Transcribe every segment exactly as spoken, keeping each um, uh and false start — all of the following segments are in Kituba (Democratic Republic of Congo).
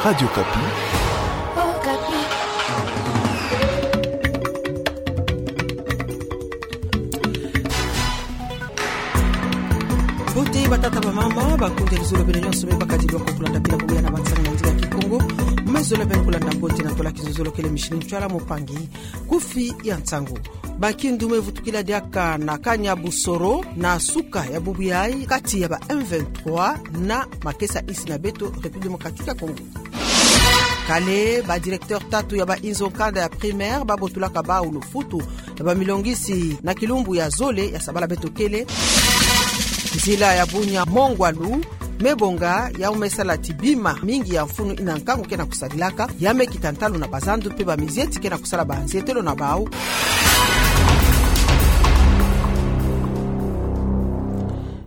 Radio Okapi. Mbote batata, bamama, bakonzi ya luzolo, beno nyonso me bakadilwa ko kulanda pila bubu ya na bansangu na nzila Kikongo. Me zola beno kulanda mbote na tola kizololo kele mishini ntwala mopangi. Kufi ya nsangu. Bankindu me vutukila diaka na Kanyabusoro na suka ya bubu yayi kati ya ba M vingt-trois na makesa insi na beto République Démocratique ya Congo. Kale, ba directeur tatu ya ba inzo kanda ya primaire babotulaka bawu lufutu ya bamilongisi na kilumbu ya zole ya sabala beto kele. Nzila ya Bunia-Mongwalu me bonga, yawu me sala ti bima mingi ya mfunu yina nkangu ke na kusadilaka, ya me kita ntalu na bazandu mpe bamizieti ke na kusala banzietelo na bawu.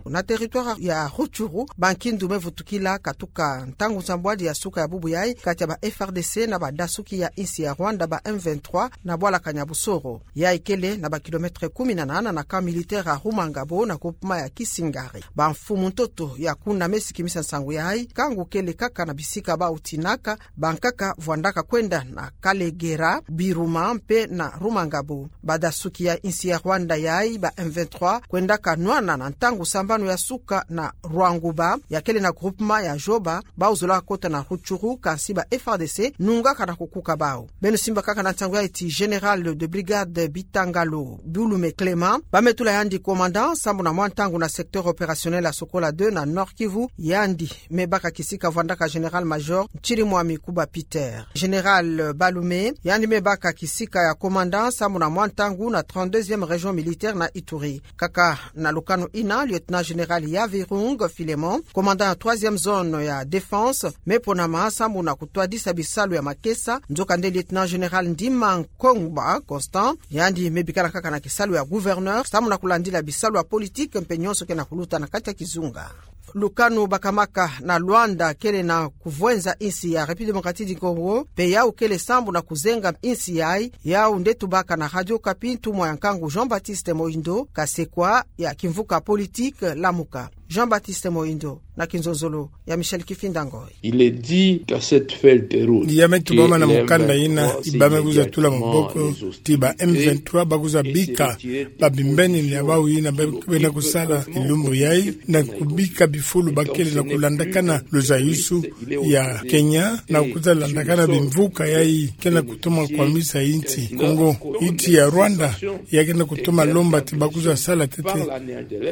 Na territoire ya Rutshuru, bankindu me vutukila katuka ntangu nsambwadi ya suka ya bubu yayi kati ya ba F R D C na badasuki ya insi ya Rwanda, ba M vingt-trois, na bwala Kanyabusoro. Yayi kele na ba kilomètre kumi na nana na camp militaire ya Rumangabo na groupement ya Kisingari. Bamfumu ntoto ya kuna me sikimisa nsangu yayi, nkangu kele kaka na bisika bawu tinaka bankaka vwandaka kwenda na Kalegera, Biruma mpe na Rumangabo. Badasuki ya insi ya Rwanda yayi, ba M vingt-trois, kwendaka nwana na ntangu sambanu ya suka na Rwanguba, ya kele na groupement ya Joba, bawu zolaka kota na Rutshuru, kansi ba F R D C nungaka na kukuka bawu. Beno simba kaka na nsangu yayi ti général de brigade Bitangalo Bulume Clément, ba me tula yandi commandant sambu na mwa ntangu na secteur opérationnel ya Sokola deux na Nord-Kivu, yandi me baka kisika vwandaka général-major Nchirimwami Kuba Peter. Général Balume, yandi me baka kisika ya commandant sambu na mwa ntangu na trente-deuxième région militaire na Ituri. Kaka na lukanu yina, lieutenant-général Yavirung Philémon, commandant ya troisième zone ya défense, me ponama sambu na kutwadisa bisalu ya makesa. Nzokande lieutenant-général Ndima Nkongba Constant, yandi me bikana kaka na kisalu ya gouverneur sambu na kulandila bisalu ya politique mpe nyonso ke na kuluta na kati ya kizunga. Lukanu bakamaka na Luanda kele na kuvwenza insi ya République Démocratique du Congo, mpe yawu kele sambu na kuzenga insi yayi. Yawu nde tubaka na Radio Okapi ntumwa ya nkangu Jean-Baptiste Moindo, kasekwa ya kimvuka politique Lamuka. Jean-Baptiste Moindo, na kinzonzolo ya Michel Kifinda Ngoy. Il est dit qu'à cette feuille de route, ya me tubama na mukanda yina, i ba me kwiza tula maboko ti ba M vingt-trois ba kwiza bika babimbeni ya bawu yina ba kwenda kusala kilumbu yayi, na kubika bifulu ba kele na kulandakana luzayusu ya Kenya, na kwiza landakana bimvuka yayi ke na kutoma kwamisa insi Kongo. Insi ya Rwanda ya ke na kutoma lomba ti ba kwiza sala ntete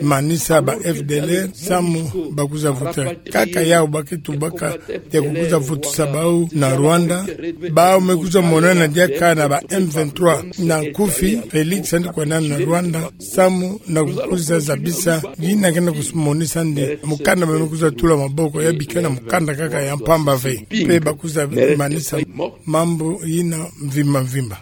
manisa ba F D L R, samu ba kwiza vuta kaka yawu ba ke tubaka ya kukwiza vutusa bawu na Rwanda. Bawu me kwiza monana diaka na ba M vingt-trois na nkufi, Félix yandi kwanana na Rwanda samu na kukwiza zabisa yina ke na kumonisa nde mukanda me kwiza tula maboko ya bika na mukanda kaka ya mpamba ve, mpe ba kwiza manisa mambu yina mvimba mvimba.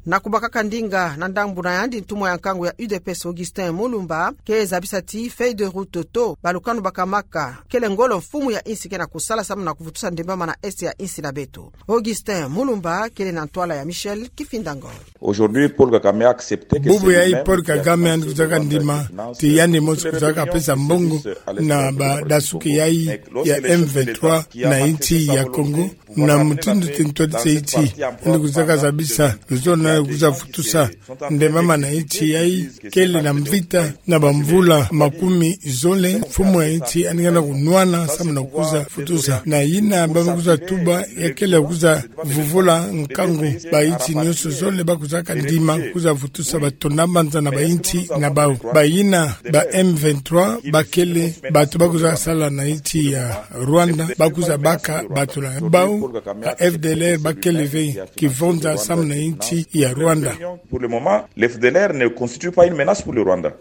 Na kubakaka ndinga na ndambu na yandi, ntumwa ya nkangu ya U D P S Augustin Mulumba ke zabisa ti feuille de route to balukanu bakamaka kele ngolo mfumu ya insi ke na kusala samu na kuvutusa ndembama na Est ya insi na beto. Augustin Mulumba kele na ntwala ya Michel Kifinda Ngoy. Aujourd'hui, Paul Kagame a accepté que bubu yayi Paul Kagame yandi kwizaka ndima ti yandi mosi kwizaka pesa mbongo na badasuki yayi ya M vingt-trois na insi ya Congo, na mutindu ti ntwadisa insi, yandi kwizaka zabisa luzolo na kwiza vutusa ndembama na insi yayi kele na mvita na bamvula makumi zole. Mfumu ya insi yandi ke na kunwana samu na kwiza vutusa. Na yina ba me kwiza tuba ya kele kwiza vuvula nkangu bainsi nyonso zole ba kwizaka ndima kwiza vutusa batonda mbanza na bainsi na bawu. Bayina ba M vingt-trois ba kele bantu ba kwiza sala na insi ya Rwanda, ba kwiza baka bantu na bawu. Ba F D L R ba kele ve kivonza samu na insi ya Rwanda. Pour le moment, le F D L R ne constitue pas une menace pour le Rwanda.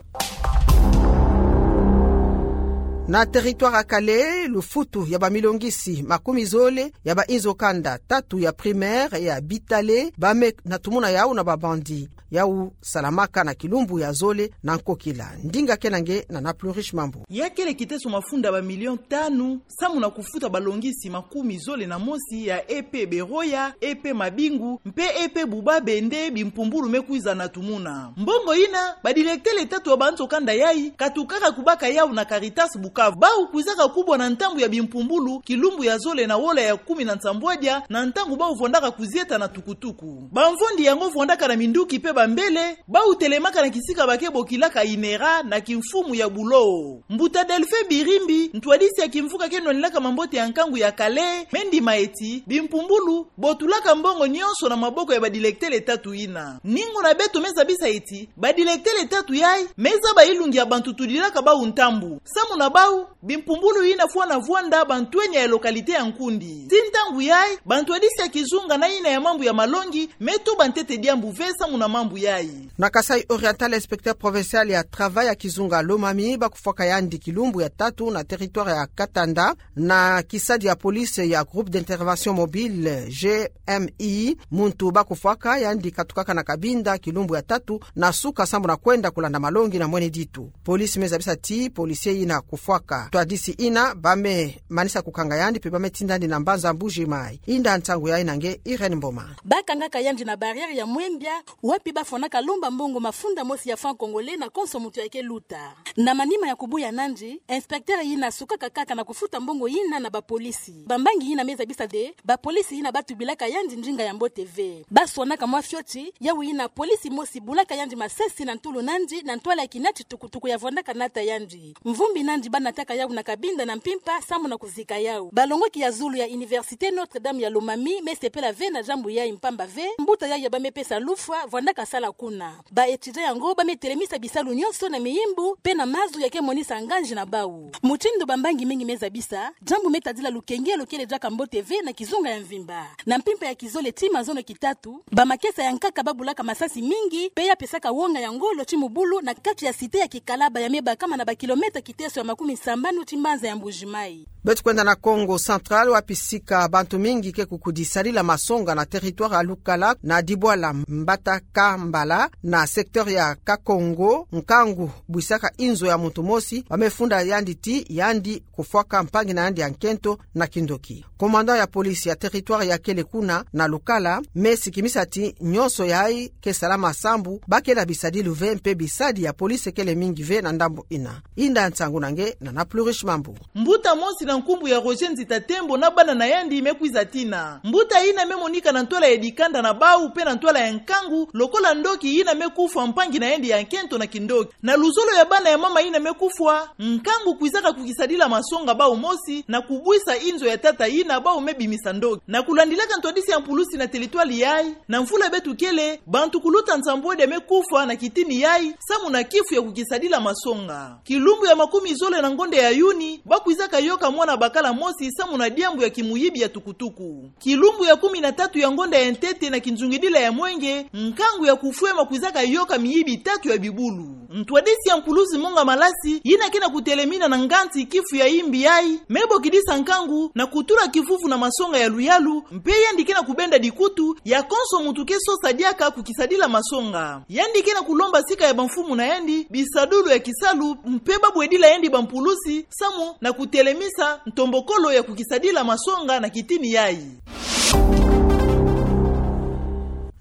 Na territoire ya Kale, lufutu ya bamilongisi makumi zole ya bainzo kanda tatu ya primaire ya Bitale ba me na tumuna yawu na ba bandits. Yawu salamaka na kilumbu ya zole na nkokila. Ndinga kena nge na Naplu Riche Mambu. Ya kele kiteso mafunda ba millions tanu samu na kufuta balongisi makumi zole na mosi ya E P Beroya, E P Mabingu, mpe E P Bubabe nde bimpumbulu me kwiza na tumuna. Mbongo yina, ba directeurs tatu ya banzo kanda yayi katukaka kubaka yawu na Caritas Bukavu. Bau kwizaka kubwa na ntambu ya bimpumbulu, kilumbu ya zole na wola ya kumi na nsambwadia, na ntangu bau vwandaka kuzieta na tukutuku. Bamvondi yango vwandaka na minduki pe bambele, bau telemaka na kisika ba ke bokilaka INERA na kimfumu ya bulo. Mbuta Delphin Birimbi, ntwadisi ya kimvuka ke nwanilaka mambote ya nkangu ya Calais, me ndima eti, bimpumbulu, bo tulaka mbongo nyonso na maboko ya badilecteurs tatu yina. Ningu na beto me zabisa eti, badilecteurs tatu yayi, me zaba ilungi ya bantu tudilaka bau ntambu. Samu na bau, bimpumbulu yina fwana vwanda bantwenya ya localité ya Nkundi. Tii ntangu yayi, bantwadisi ya kizunga na yina ya mambu ya malongi, me tuba ntete diambu ve samu na mambu yayi. Na Kasaï Oriental, inspecteur provincial ya travail ya kizunga Lomami, ba kufwaka yandi kilumbu ya tatu na territoire ya Katanda, na kisadi ya police ya Groupe d'Intervention Mobile, G M I, muntu ba kufwaka yandi katukaka na Cabinda kilumbu ya tatu na suka samu na kwenda kulanda malongi na mwene ditu. Police me zabisa ti policier yina kufwaka ntwadisi yina, ba me manisa kukanga yandi pe ba me tinda yandi na mbanza Mbuji Mayi. Inda nsangu yayi na nge Irène Mboma. Ba kangaka yandi na barrière ya Mwembia, wapi ba fwanaka lomba mbongo mafunda mosi ya franc congolais na konso muntu ya ke luta. Na manima ya kubuya nandi, inspecteur yina sukaka kaka na kufuta mbongo yina na bapolisi. Bambangi yina me zabisa nde, bapolisi yina ba tubilaka yandi ndinga ya mbote ve. Ba swanaka mwa fioti, yawu yina polisi mosi bulaka yandi masasi na ntulu nandi, na ntwala ya kinati tukutuku ya vwandaka nata yandi. Mvumbi nandi ba nataka yawu na Cabinda na mpimpa, samu na kuzika yawu. Balongoki ya zulu ya Université Notre-Dame ya Lomami me sepela ve na diambu yayi mpamba ve, mbuta yayi ya ba me pesa lufwa, vwandaka sala kuna. Ba étudiants yango ba me telemisa bisalu nyonso na miyimbu, pe na mazu ya ke monisa nganzi na bawu. Mutindu bambangi mingi me zabisa, diambu me tadila lukengelo kele diaka mbote ve na kizunga ya mvimba. Na mpimpa ya kizole tii mazono kitatu, bamakesa ya nkaka ba bulaka masasi mingi, pe ya pesaka wonga ya ngolo tii mubulu na kati ya cité ya Kikalaba ya me bakama na bakilomètre kiteso ya makumi sambanu tii mbanza ya Mbuji Mayi. Beto kwenda na Kongo Central, wapi sika bantu mingi ke kukudi sadila masonga na territoire ya Lukala, na dibwala Mbatakambala, na secteur ya Kakongo, nkangu bwisaka inzo ya muntu mosi, ba me funda yandi ti yandi kufwaka mpangi na yandi ya nkento na kindoki. Commandant ya police ya territoire ya kele kuna na Lukala me sikimisa ti nyonso yayi ke salama sambu ba kele na bisadilu ve mpe bisadi ya police kele mingi ve na ndambu yina. Inda nsangu na nge Nana Plurish Mambu. Mbuta mosi na nkumbu ya Roger Nzita Tembo na bana na yandi me kwiza tina. Mbuta yina me monika na ntwala ya dikanda na bawu mpe na ntwala ya nkangu, lokola ndoki yina me kufwa mpangi na yandi ya nkento na kindoki. Na luzolo ya bana ya mama yina me kufwa, nkangu kwizaka kukisadila masonga bawu mosi, na kubwisa inzo ya tata yina bawu me bimisa ndoki. Na kulandilaka ntwadisi ya mpulusi na territoire yayi, na mvula beto kele, bantu kuluta nsambwadi me kufwa na kitini yayi, samu na kifu ya kukisadila masonga. Kilumbu ya makumi zole na ngonda ya Yuni, ba kwizaka yoka mwana bakala mosi samu na diambu ya kimuyibi ya tukutuku. Kilumbu ya kumi na tatu ya ngonda ya ntete na kinzungidila ya mwenge, nkangu ya kufwema kwizaka yoka miyibi tatu ya bibulu. Ntwadisi ya mpulusi Monga Malasi, yina ke na kutelemina na nganzi kifu ya yimbi yayi, me bokidisa nkangu na kutula kivuvu na masonga ya luyalu, mpe yandi ke na kubenda dikutu ya konso muntu ke sosa diaka kukisadila masonga. Yandi ke na kulomba sika ya bamfumu na yandi bisadulu ya kisalu, mpe ba bwedila yandi bampulusi, samu na kutelemisa ntombokolo ya kukisadila masonga na kitini yayi.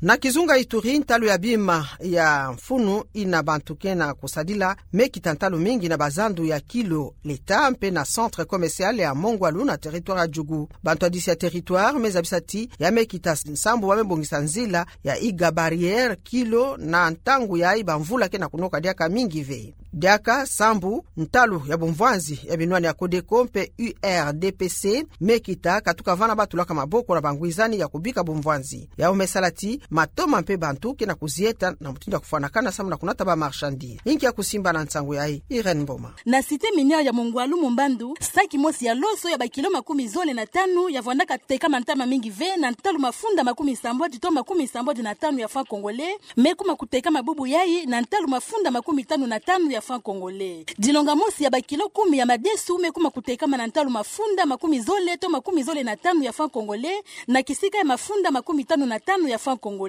Na kizunga Ituri, ntalu ya bima ya mfunu yina bantu ke na kusadila me kita ntalu mingi na bazandu ya Kilo Leta mpe na centre commercial ya Mongwalu na territoire ya Djugu. Bantwadisi ya territoire me zabisa ti ya me kita sambu ba me bongisa nzila ya Iga Barrière Kilo na ntangu yayi bamvula ke na kunoka diaka mingi ve. Diaka sambu ntalu ya bumvwanzi ya binwani ya Codeco mpe U R D P C me kita katuka vana ba tulaka maboko na bangwizani ya kubika bumvwanzi. Yawu me sala ti matoma mpe bantu ke na kuzieta na mutindu ya kufwanakana samu na kunata ba marchandise. Inki ya kusimba na nsangu yayi, Irène Mboma. Na cité minière ya Mongwalu Mumbandu, saki mosi ya loso ya bakilo makumi zole na tanu ya vwandaka tekama ntama mingi ve na ntalu mafunda makumi sambwadi to makumi sambwadi na tanu ya franc congolais, me kuma kutekama bubu yayi na ntalu mafunda makumi tanu na tanu ya franc congolais. Dilonga mosi ya bakilo kumi ya madesu me kuma kutekama na ntalu mafunda makumi zole to makumi zole na tanu ya franc congolais, na kisika ya mafunda makumi tanu na tanu ya franc congolais.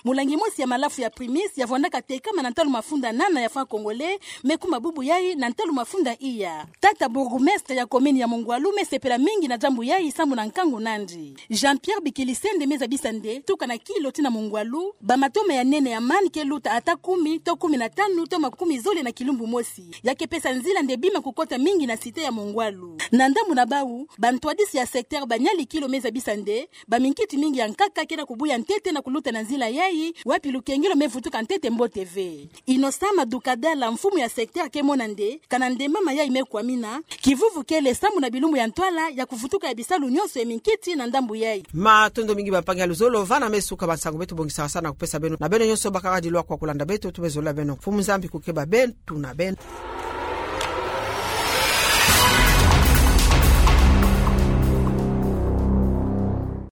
Mulangi mosi ya malafu ya Primus ya vwandaka tekama na ntalu mafunda nana ya franc congolais, me kuma bubu yayi na ntalu mafunda iya. Tata bourgmestre ya commune ya Mongwalu me sepela mingi na diambu yayi samu na nkangu nandi. Jean-Pierre Bikilisende me zabisa nde, tuka na Kilo tii na Mongwalu, bamatoma ya nene ya man ke luta ata kumi, to kumi na tanu, to makumi zole na kilumbu mosi, ya ke pesa nzila nde bima kukota mingi na cité ya Mongwalu. Na ndambu na bau, bantwadisi ya secteur banyali kilo me zabisa nde baminkiti mingi ya nkaka ke na kubuya ntete na kuluta na nzila yai, wapi lukengelo me vutuka ntete mbote ve. Innocent Madukadala, mfumu ya secteur, ke mona nde kana nde mama yai me kwamina kivuvu kele sambu na bilumbu ya ntwala ya kuvutuka ya bisalu nyonso ya minkiti na ndambu yai. Matondo mingi bampangi ya luzolo, vana me suka bansangu beto bongisaka sa na kupesa beno. Na beno nyonso bakaka dilu kwa kulanda beto, tumezolula beno. Mfumu Nzambi kukeba beto na beno.